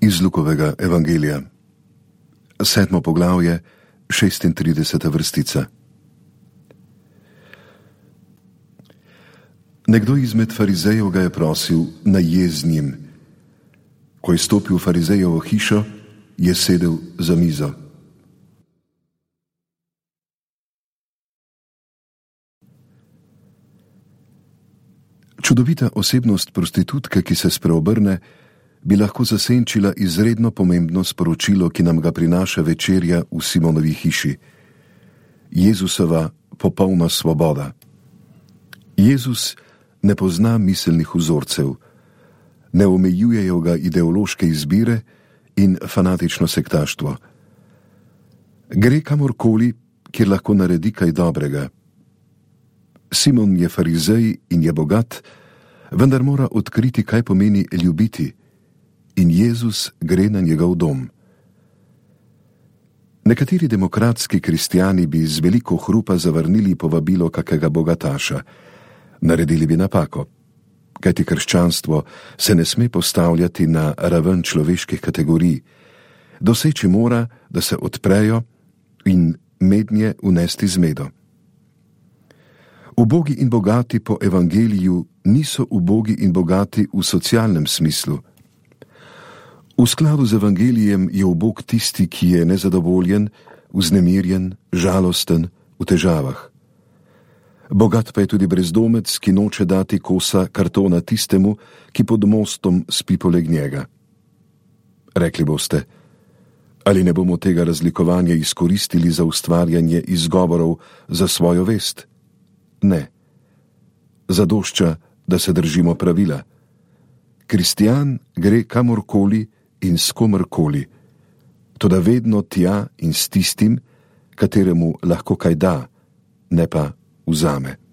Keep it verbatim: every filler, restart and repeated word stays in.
Iz Lukovega evangelija, sedmo poglavje, šestintrideseta vrstica. Nekdo izmed farizejev ga je prosil, naj je z njim. Ko je stopil v farizejevo hišo, je sedel za mizo. Čudovita osebnost prostitutke, ki se spreobrne, bi lahko zasenčila izredno pomembno sporočilo, ki nam ga prinaša večerja v Simonovi hiši. Jezusova popolna svoboda. Jezus ne pozna miselnih vzorcev, ne omejujejo ga ideološke izbire in fanatično sektaštvo. Gre kamorkoli, kjer lahko naredi kaj dobrega. Simon je farizej in je bogat, vendar mora odkriti, kaj pomeni ljubiti, in Jezus gre na njegov dom. Nekateri demokratski kristjani bi z veliko hrupa zavrnili povabilo kakega bogataša. Naredili bi napako, kajti krščanstvo se ne sme postavljati na raven človeških kategorij. Doseči mora, da se odprejo in mednje unesti zmedo. Ubogi in bogati po evangeliju niso ubogi in bogati v socialnem smislu. V skladu z evangelijem je ubog tisti, ki je nezadovoljen, vznemirjen, žalosten, v težavah. Bogat pa je tudi brezdomec, ki noče dati kosa kartona tistemu, ki pod mostom spi poleg njega. Rekli boste, ali ne bomo tega razlikovanja izkoristili za ustvarjanje izgovorov za svojo vest? Ne. Zadošča, da se držimo pravila. Kristjan gre kamorkoli in s komorkoli, toda vedno tja in s tistim, kateremu lahko kaj da, ne pa vzame.